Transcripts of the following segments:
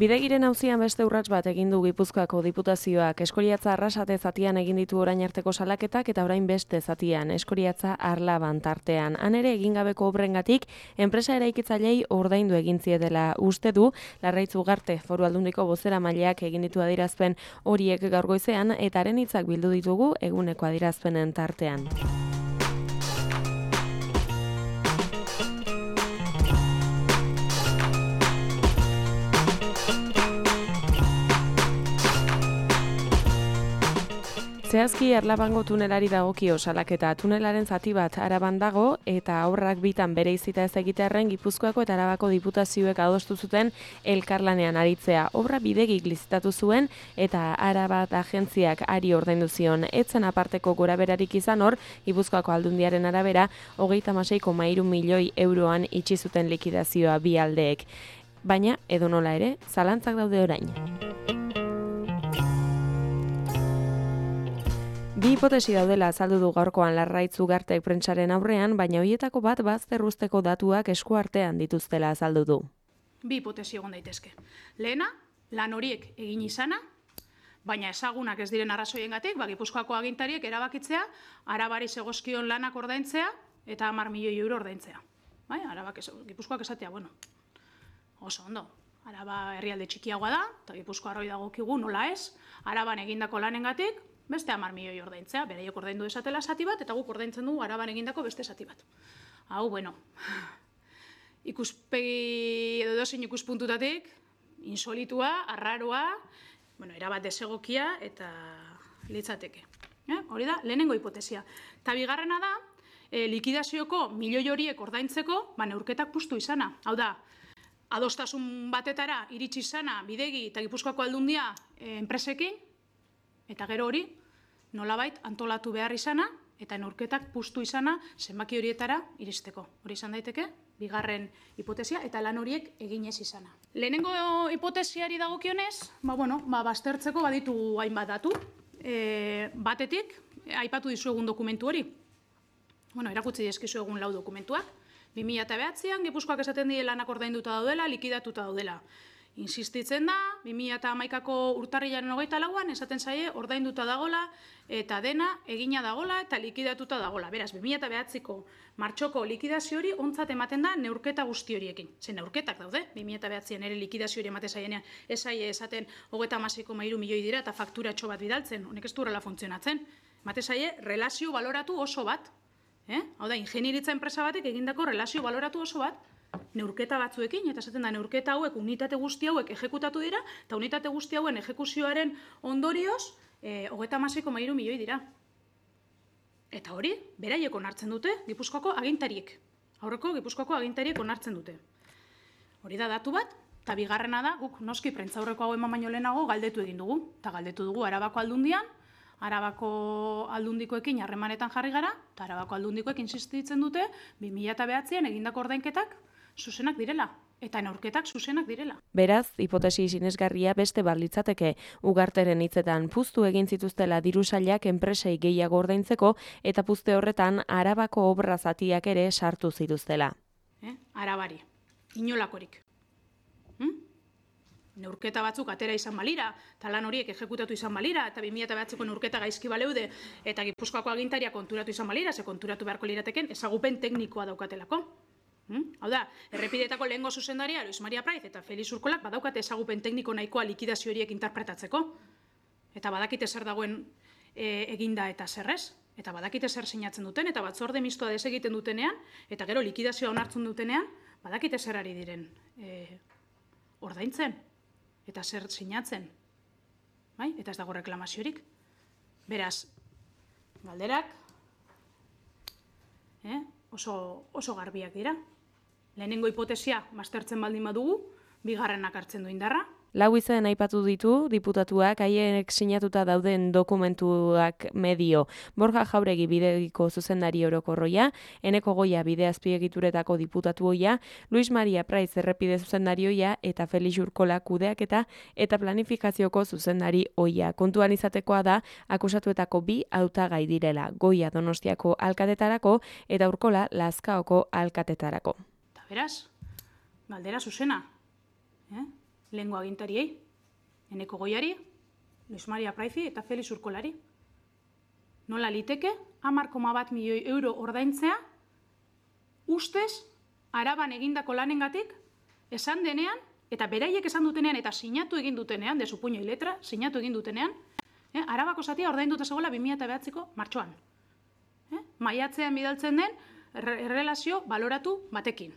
Bidegiren auzian beste urrats bat egin du Gipuzkoako Diputazioak. Eskoriatza Arrasate zatian egin ditu orain arteko salaketak eta orain beste zatian, Eskoriatza Arlaban tartean. Han ere egingabeko obrengatik enpresa eraikitzailei ordaindu egin zietela uste du Larraitz Ugarte Foru Aldundiko bozeramaileak egin ditu adierazpen horiek gaur goizean eta haren hitzak bildu ditugu eguneko adierazpenen tartean. Zehazki Arlabango tunelari dagokio salaketa. Tunelaren zati bat Araban dago eta aurrak bitan bereizita ez egitearren Gipuzkoako eta Arabako diputazioek adostu zuten elkarlanean aritzea. Obra bidegik lizitatu zuen eta Arabat agentziak ari ordaindu zion. Etzen aparteko goraberarik izan hor, Gipuzkoako Aldundiaren arabera 36,3 milioi euroan itxi zuten likidazioa bi aldeek. Baina, edonola ere, zalantzak daude orain. Bi hipotesi daudela azaldu du gaurkoan Larraitz Ugartek prentsaren aurrean, baina horietako bat bazterruzteko datuak esku artean dituztela azaldu du. Bi hipotesi egon daitezke. Lehena, lan horiek egin izana, baina ezagunak ez diren arrazoiengatik, Gipuzkoako agintariek erabakitzea, Arabari zegozkion lanak ordaintzea eta 10 milioi euro ordaintzea. Gipuzkoak esatea, oso ondo. Araba herrialde txikiagoa da, eta Gipuzkoarroi dagokigu nola ez, Araban egindako lanengatik, beste 10 milioi ordaintzea, beraiek ordaindu desatela zati bat, eta guk ordaintzen dugu Araban egindako beste zati bat. Hau, ikuspegi edo dozein ikuspuntutatik, insolitua, arraroa, erabat desegokia eta litzateke. Hori da, lehenengo hipotesia. Eta bigarrena da, likidazioko milioi horiek ordaintzeko, neurketak puztu izana. Hau da, adostasun batetara iritsi izana bidegi eta Gipuzkoako Aldundia enpresekin, eta gero hori nolabait antolatu behar izana eta neurketak puztu izana zenbaki horietara iristeko. Hori izan daiteke, bigarren hipotesia eta lan horiek egin ez izana. Lehenengo hipotesiari dagokionez, baztertzeko baditu hainbat datu. Batetik, aipatu dizuegun dokumentu hori. Erakutsi dizkizuegun 4 dokumentuak. 2009an Gipuzkoak esaten die lanak ordainduta daudela, likidatuta daudela. Insistitzen da, 2011ko urtarrilaren 24an esaten zaie ordainduta dagola eta dena egina dagola eta likidatuta dagola. Beraz, 2009ko martxoko likidazio hori ontzat ematen da neurketa guzti horiekin. Zer neurketak daude, 2009an ere likidazio hori emate zaienean ez zaie esaten 36,3 milioi dira eta fakturatxo bat bidaltzen, honek ez du horrela funtzionatzen. Emate zaie relazio baloratu oso bat. Hau da, ingenieritza enpresa batek egindako relazio baloratu oso bat, neurketa batzuekin, eta esaten da neurketa hauek, unitate guzti hauek ejekutatu dira, eta unitate guzti hauen ejekuzioaren ondorioz, 36,3 milioi dira. Eta hori, beraiek onartzen dute, Gipuzkoako agintariek. Aurreko Gipuzkoako agintariek onartzen dute. Hori da datu bat, eta bigarrena da, guk noski prentzaurreko hau eman baino lehenago galdetu egin dugu. Eta galdetu dugu Arabako Aldundian, Arabako Aldundikoekin harremanetan jarri gara, eta Arabako Aldundikoek insistitzen dute 2009an egindako ordainketak zuzenak direla, eta neurketak zuzenak direla. Beraz, hipotesi sinesgarria beste bat litzateke, Ugarteren hitzetan puztu egin zituztela diru sailak enpresei gehiago ordaintzeko eta puzte horretan Arabako obra zatiak ere sartu zituztela. Arabari, inolakorik. Neurketa batzuk atera izan balira, eta lan horiek ejekutatu izan balira, eta 2009ko neurketa gaizki baleude, eta Gipuzkoako agintaria konturatu izan balira, ze konturatu beharko lirateken, ezagupen teknikoa daukatelako. Hau da, errepideetako lehengo zuzendaria, Luis Maria Praiz eta Felix Urkolak badaukate ezagupen tekniko nahikoa likidazio horiek interpretatzeko, eta badakite zer dagoen eginda eta zerrez, eta badakite zer sinatzen duten, eta batzorde mistoa desegiten dutenean, eta gero likidazioa onartzen dutenean, badakite zer ari diren ordaintzen. Eta zer sinatzen, eta ez dago reklamaziorik. Beraz, galderak oso garbiak dira. Lehenengo hipotesia baztertzen baldin badugu, bigarrenak hartzen du indarra, Lau izen aipatu ditu diputatuak, haienek sinatuta dauden dokumentuak medio. Borja Jauregi bidegiko zuzendari orokorroia, Eneko Goia bide azpiegituretako diputatu oia, Luis Maria Praiz errepide zuzendarioia eta Felix Urkola kudeaketa eta planifikazioko zuzendari oia. Kontuan izatekoa da akusatuetako 2 hautagai direla, Goia Donostiako alkatetarako eta Urkola Lazkaoko alkatetarako. Eta beraz, galdera zuzena, lehengo agintariei, Eneko Goiari, Luis Maria Praizi eta Felix Urkolari. Nola liteke 10,1 milioi euro ordaintzea, ustez, Araban egindako lanengatik, esan denean, eta beraiek esan dutenean, eta sinatu egin dutenean, de su puño y letra, sinatu egin dutenean, Arabako zatia ordainduta zegoela 2009ko martxoan. Maiatzean bidaltzen den errelazio baloratu batekin.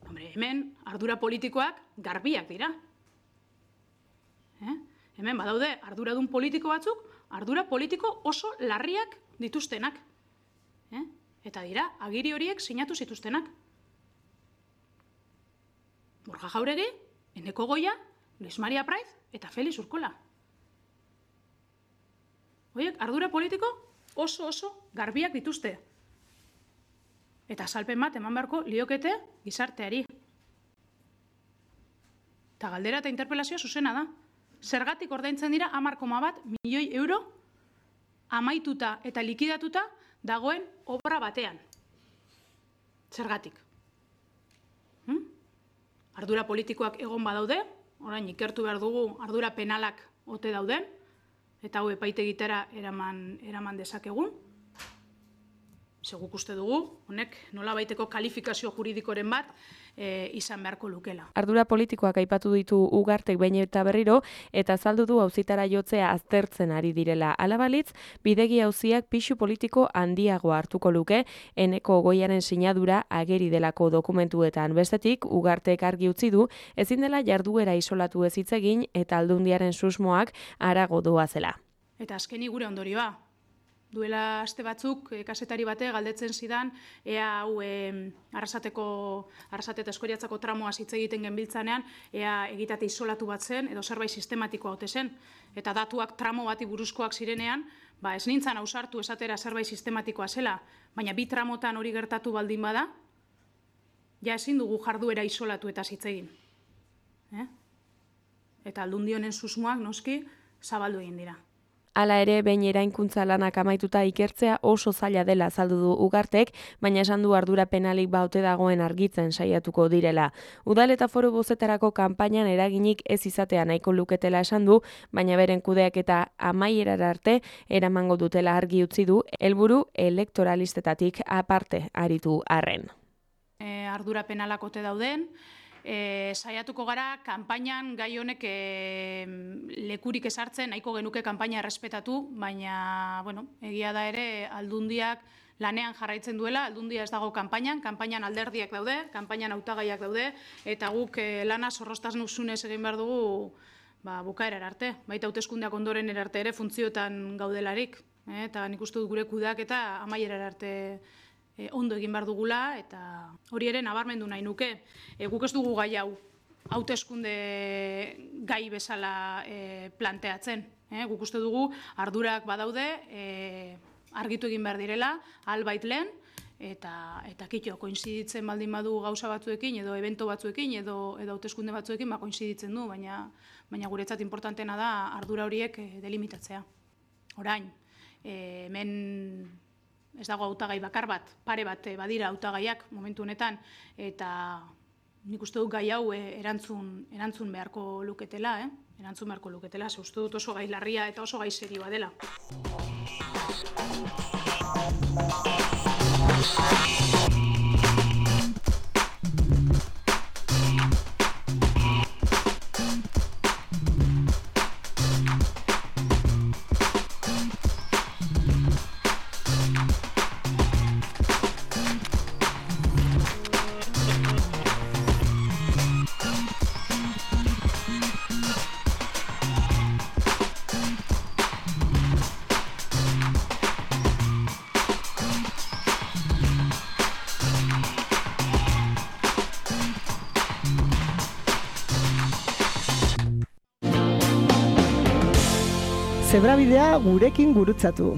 Hombre, hemen ardura politikoak garbiak dira. Hemen badaude arduradun politiko batzuk, ardura politiko oso larriak dituztenak. Eta dira, agiri horiek sinatu zituztenak. Borja Jauregi, Eneko Goia, Luis Maria Praiz eta Felix Urkola. Horiek, ardura politiko oso garbiak dituzte. Eta azalpen bat eman beharko liokete gizarteari. Eta galdera eta interpelazioa zuzena da. Zergatik ordaintzen dira 10,1 milioi euro amaituta eta likidatuta dagoen obra batean. Zergatik. Ardura politikoak egon badaude, orain ikertu behar dugu ardura penalak ote dauden, eta hau epaitegitara eraman dezakegun. Seguk uste dugu, honek nolabaiteko kalifikazio juridikoren bat izan beharko lukela. Ardura politikoak aipatu ditu Ugartek behin eta berriro, eta azaldu du auzitara jotzea aztertzen ari direla. Hala balitz, bidegi auziak pisu politiko handiago hartuko luke, Eneko Goiaren sinadura ageri delako dokumentuetan. Bestetik, Ugartek argi utzi du, ezin dela jarduera isolatu ez hitz egin eta Aldundiaren susmoak harago doazela. Eta azkeni gure ondorioa. Duela aste batzuk, kazetari bate galdetzen zidan, ea hau Arrasate eta Eskoriatzako tramoa hitz egiten genbiltzanean, ea egitate isolatu bat zen, edo zerbait sistematikoa ote zen. Eta datuak tramo bati buruzkoak zirenean, ez nintzen ausartu esatera zerbait sistematikoa zela, baina 2 tramotan hori gertatu baldin bada, ja ezin dugu jarduera isolatu eta hitz egin. Eta Aldundi honen susmoak noski zabaldu egin dira. Hala ere, behin eraikuntza lanak amaituta ikertzea oso zaila dela azaldu du Ugartek, baina esan du ardura penalik baute dagoen argitzen saiatuko direla. Udal eta foru bozetarako kanpainan eraginik ez izatea nahiko luketela esan du, baina beren kudeaketa amaierara arte eramango dutela argi utzi du, helburu elektoralistetatik aparte aritu arren. Ardura penalak ote dauden, saiatuko gara, kanpainan gai honek lekurik ezartzen, nahiko genuke kanpaina errespetatu, baina, egia da ere, Aldundiak lanean jarraitzen duela, Aldundia ez dago kanpainan alderdiak daude, kanpainan hautagaiak daude, eta guk lana zorroztasunez egin behar dugu bukaerar arte. Baita hauteskundeak ondoren erarte ere funtzioetan gaudelarik, eta nik uste dut gure kudeak eta amaierar arte ondo egin behar dugula, eta hori ere nabarmendu nahi nuke. Guk ez dugu gai hau hauteskunde gai bezala planteatzen. Guk uste dugu ardurak badaude, argitu egin behar direla, albait lehen, eta kitxo, koinziditzen baldin badu gauza batzuekin, edo evento batzuekin, edo hauteskunde batzuekin, koinziditzen du, baina guretzat importantena da ardura horiek delimitatzea. Orain, hemen ez dago hautagai bakar bat, pare bat badira hautagaiak momentu honetan, eta nik uste dut gai hau erantzun beharko luketela, ze uste dut oso gai larria eta oso gai serioa dela. Zebrabidea gurekin gurutzatu.